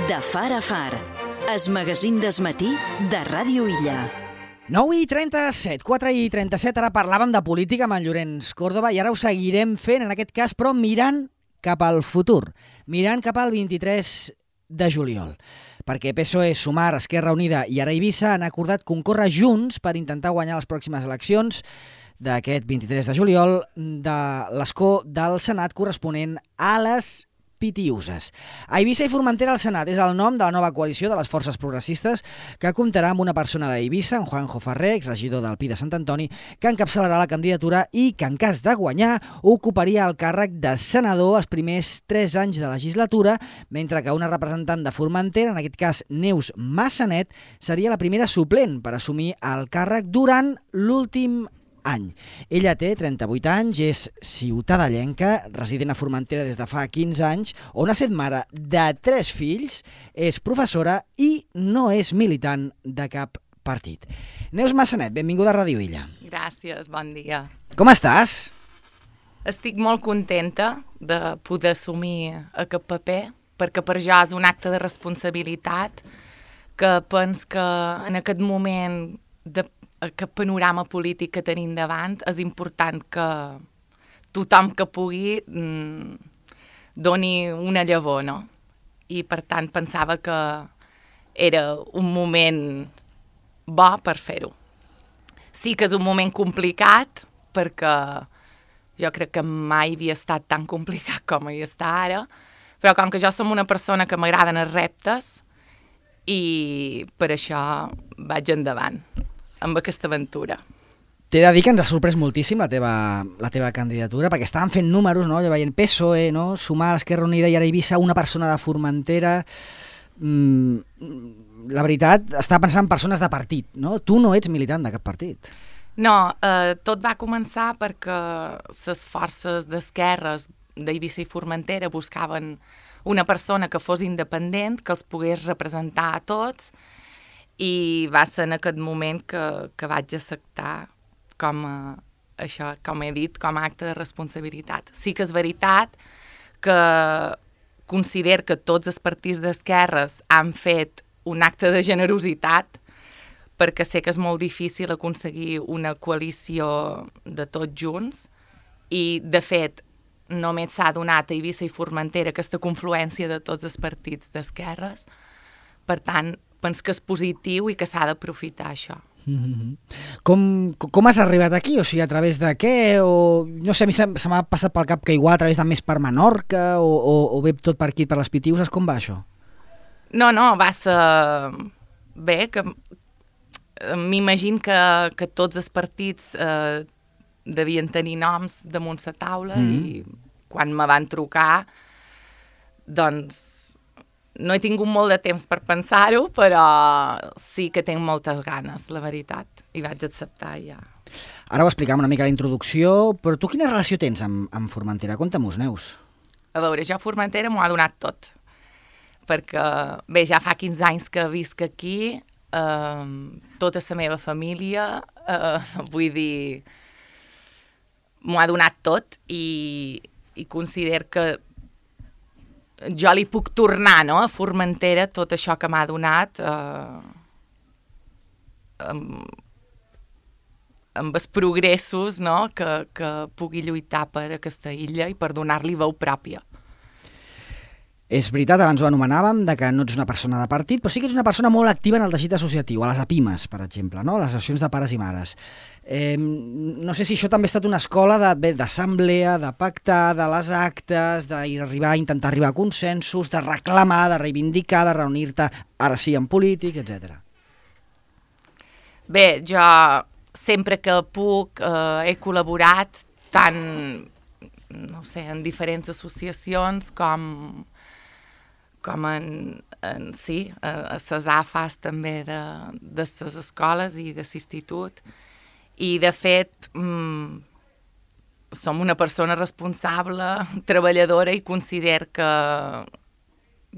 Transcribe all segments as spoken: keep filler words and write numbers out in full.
De far a far, es magazín d'esmatí de Ràdio Illa. nou i trenta-set, quatre i trenta-set, ara parlàvem de política amb en Llorenç Córdoba i ara ho seguirem fent, en aquest cas, però mirant cap al futur, mirant cap al vint-i-tres de juliol. Perquè P S O E, Sumar, Esquerra Unida i ara Eivissa han acordat concórrer junts per intentar guanyar les pròximes eleccions d'aquest vint-i-tres de juliol de l'escó del Senat corresponent a les Pitiuses. Eivissa i Formentera al Senat és el nom de la nova coalició de les forces progressistes que comptarà amb una persona d'Eivissa, en Juanjo Ferrer, exregidor del Pi de Sant Antoni, que encapçalarà la candidatura i que, en cas de guanyar, ocuparia el càrrec de senador els primers tres anys de legislatura, mentre que una representant de Formentera, en aquest cas Neus Massanet, seria la primera suplent per assumir el càrrec durant l'últim any. Ella té trenta-vuit anys, és ciutadellenca, resident a Formentera des de fa quinze anys, on ha set mare de tres fills, és professora i no és militant de cap partit. Neus Massanet, benvinguda a Ràdio Illa. Gràcies, bon dia. Com estàs? Estic molt contenta de poder assumir aquest paper, perquè per jo és un acte de responsabilitat que penso que en aquest moment de aquest panorama polític que tenim davant és important que tothom que pugui mm, doni una llavor, no? I per tant pensava que era un moment bo per fer-ho. Sí que és un moment complicat perquè jo crec que mai havia estat tan complicat com hi està ara, però com que jo som una persona que m'agraden els reptes i per això vaig endavant amb aquesta aventura. T'he de dir que ens ha sorprès moltíssim la teva, la teva candidatura, perquè estàvem fent números, no? Ja veient P S O E, no? Sumar, Esquerra Unida i ara Eivissa, una persona de Formentera. Mm, la veritat, estava pensant en persones de partit, no? Tu no ets militant de cap partit. No, eh, tot va començar perquè les forces d'esquerres d'Eivissa i Formentera buscaven una persona que fos independent, que els pogués representar a tots, i va ser en aquest moment que, que vaig acceptar com a, això, com he dit, com a acte de responsabilitat. Sí que és veritat que considero que tots els partits d'esquerres han fet un acte de generositat perquè sé que és molt difícil aconseguir una coalició de tots junts i, de fet, només s'ha donat a Eivissa i Formentera aquesta confluència de tots els partits d'esquerres. Per tant, penso que és positiu i que s'ha d'aprofitar això. Mm-hmm. Com, com has arribat aquí? O sigui, a través de què? O, no sé, a mi se, se m'ha passat pel cap que igual a través de Més per Menorca o, o, o ve tot per aquí, per les Pitiuses. Com va això? No, no, va ser bé, que m'imagino que, que tots els partits eh, devien tenir noms damunt la taula mm-hmm. i quan me van trucar, doncs no he tingut molt de temps per pensar-ho, però sí que tinc moltes ganes, la veritat, i vaig acceptar ja. Ara ho explicam una mica a la introducció, però tu quina relació tens amb, amb Formentera? Conta-mos, Neus. A veure, jo a Formentera m'ho ha donat tot, perquè, bé, ja fa quinze anys que visc aquí, eh, tota la meva família, eh, vull dir, m'ho ha donat tot i, i considero que jo li puc tornar, no?, a Formentera tot això que m'ha donat eh, amb, amb els progressos, no?, que, que pugui lluitar per aquesta illa i per donar-li veu pròpia. És veritat, abans ho anomenàvem, de que no ets una persona de partit, però sí que ets una persona molt activa en el teixit associatiu, a les APIMES, per exemple, no? Les associacions de pares i mares. Eh, no sé si això també ha estat una escola d'assemblea, de, de pactar, de les actes, d'arribar, intentar arribar a consensos, de reclamar, de reivindicar, de reunir-te, ara sí, en polítics, etcètera. Bé, jo sempre que puc eh, he col·laborat tant, no sé, en diferents associacions com com en, en sí, a les A F A S també de, de les escoles i de l'institut. I, de fet, mm, som una persona responsable, treballadora i considero que,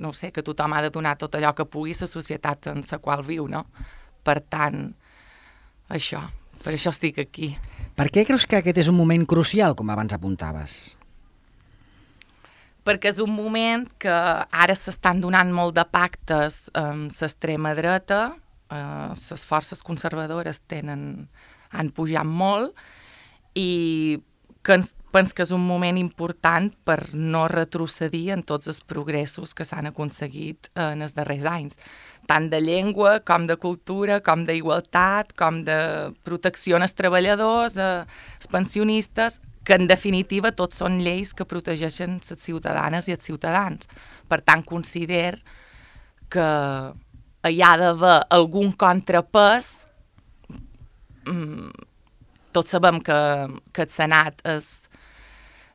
no sé, que tothom ha de donar tot allò que pugui a la societat en la qual viu, no? Per tant, això, per això estic aquí. Per què creus que aquest és un moment crucial, com abans apuntaves? perquè és un moment que ara s'estan donant molt de pactes amb l'extrema dreta, les eh, forces conservadores tenen, han pujat molt, i que ens, penso que és un moment important per no retrocedir en tots els progressos que s'han aconseguit en els darrers anys, tant de llengua, com de cultura, com d'igualtat, com de protecció als treballadors, als pensionistes, que en definitiva tots són lleis que protegeixen les ciutadanes i els ciutadans. Per tant, considero que hi ha d'haver algun contrapès. Tots sabem que, que el Senat és,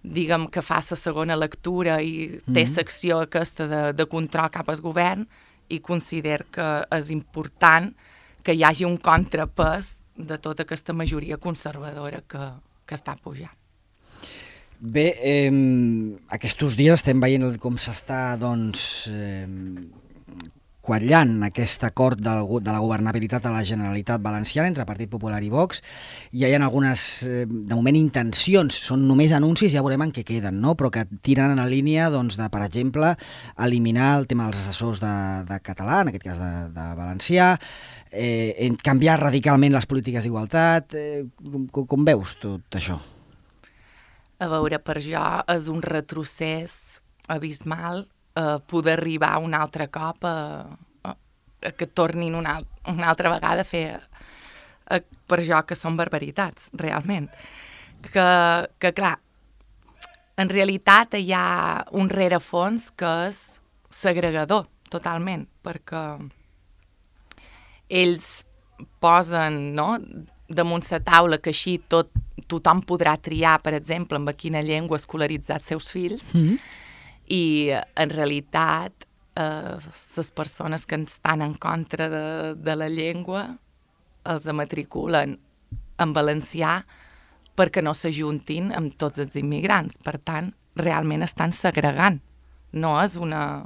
diguem, que fa la segona lectura i té mm. secció aquesta de, de control cap al govern, i considero que és important que hi hagi un contrapès de tota aquesta majoria conservadora que, que està pujant. Bé, eh, aquests dies estem veient com s'està, doncs, eh, quatllant aquest acord del, de la governabilitat de la Generalitat Valenciana entre Partit Popular i Vox. Ja hi ha algunes, eh, de moment, intencions, són només anuncis, ja veurem en què queden, no? Però que tiren en la línia, doncs, de, per exemple, eliminar el tema dels assessors de, de català, en aquest cas de, de valencià, eh, canviar radicalment les polítiques d'igualtat. Eh, com, com veus tot això? A veure, per jo és un retrocés abismal eh, poder arribar un altre cop a, a, a que tornin una, una altra vegada a fer, a, per jo, que són barbaritats, realment. Que, que, clar, en realitat hi ha un rerefons que és segregador, totalment, perquè ells posen, no?, damunt la taula que així tot, tothom podrà triar, per exemple, amb quina llengua escolaritzar els seus fills, mm-hmm. i en realitat eh, les persones que estan en contra de, de la llengua els matriculen en valencià perquè no s'ajuntin amb tots els immigrants. Per tant, realment estan segregant. No és una...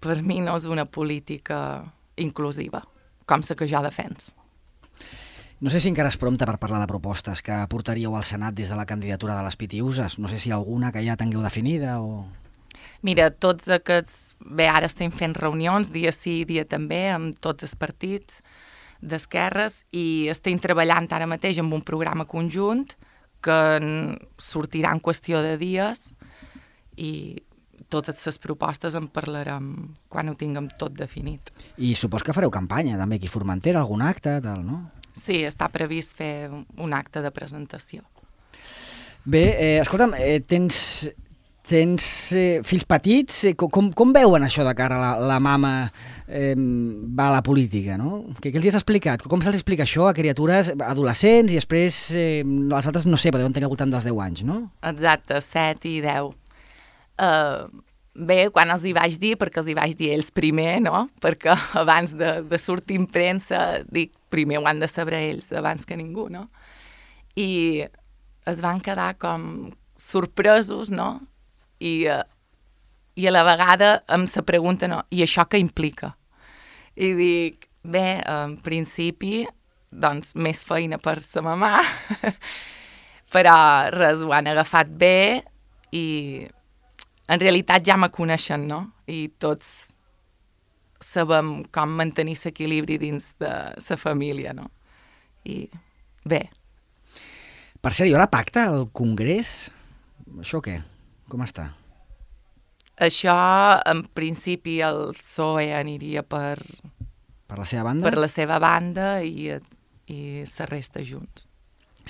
Per mi no és una política inclusiva, com la que jo defenso. No sé si encara és prompte per parlar de propostes que portaríeu al Senat des de la candidatura de les Pitiuses. No sé si alguna que ja tingueu definida o... Mira, tots aquests... Bé, ara estem fent reunions, dia sí, dia també, amb tots els partits d'esquerres, i estem treballant ara mateix amb un programa conjunt que sortirà en qüestió de dies, i totes les propostes en parlarem quan ho tinguem tot definit. I supos que fareu campanya, també, aquí a Formentera, algun acte, tal, no? Sí, està previst fer un acte de presentació. Bé, eh, escolta'm, eh, tens, tens eh, fills petits, eh, com, com veuen això de cara a la, la mama eh, va a la política, no? Què, què els has explicat? Com se'ls explica això a criatures adolescents i després eh, els altres, no sé, deuen tenir al voltant dels deu anys, no? Exacte, set i deu. Uh, bé, quan els hi vaig dir, perquè els hi vaig dir ells primer, no? Perquè abans de, de sortir en premsa, dic, primer ho han de saber ells, abans que ningú, no? I es van quedar com sorpresos, no? I, uh, i a la vegada em se pregunta, no? I això què implica? I dic, bé, en principi, doncs, més feina per sa mamà, però res, ho han agafat bé i en realitat ja me coneixen, no? I tots sabem com mantenir l'equilibri dins de la família, no? I bé. Per cert, hi haurà pacte al Congrés? Això què? Com està? Això, en principi, el P S O E aniria per... Per la seva banda? Per la seva banda i, i la resta junts.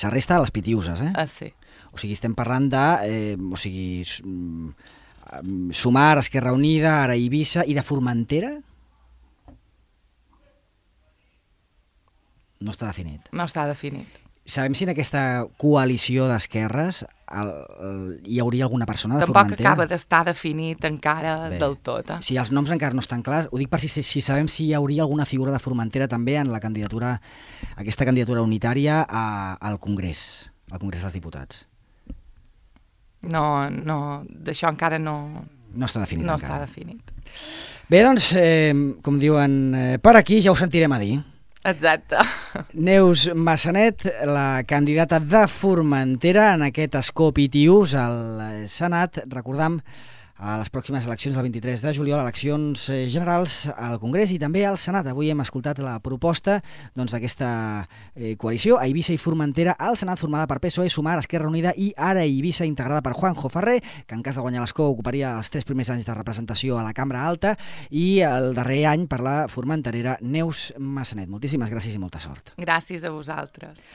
La resta a les Pitiuses, eh? Ah, sí. O sigui, estem parlant de... Eh, o sigui, Sumar, Esquerra Unida, ara Eivissa, i de Formentera? No està definit. No està definit. Sabem si en aquesta coalició d'esquerres el, el, hi hauria alguna persona de Tampoc Formentera? Tampoc acaba d'estar definit encara Bé. del tot. Eh? Si els noms encara no estan clars, ho dic per si, si sabem si hi hauria alguna figura de Formentera també en la candidatura, aquesta candidatura unitària a, al Congrés, al Congrés dels Diputats. No, no, d'això encara no... No està definit no encara. No està definit. Bé, doncs, eh, com diuen, eh, per aquí ja ho sentirem a dir. Exacte. Neus Massanet, la candidata de Formentera en aquest escó pitius al Senat. Recordam a les pròximes eleccions del vint-i-tres de juliol, eleccions generals al Congrés i també al Senat. Avui hem escoltat la proposta doncs, d'aquesta eh, coalició, a Eivissa i Formentera, al Senat, formada per P S O E, Sumar, Esquerra Unida i Ara Eivissa, integrada per Juanjo Ferrer, que en cas de guanyar l'escó ocuparia els tres primers anys de representació a la Cambra Alta, i el darrer any per la formenterera Neus Massanet. Moltíssimes gràcies i molta sort. Gràcies a vosaltres.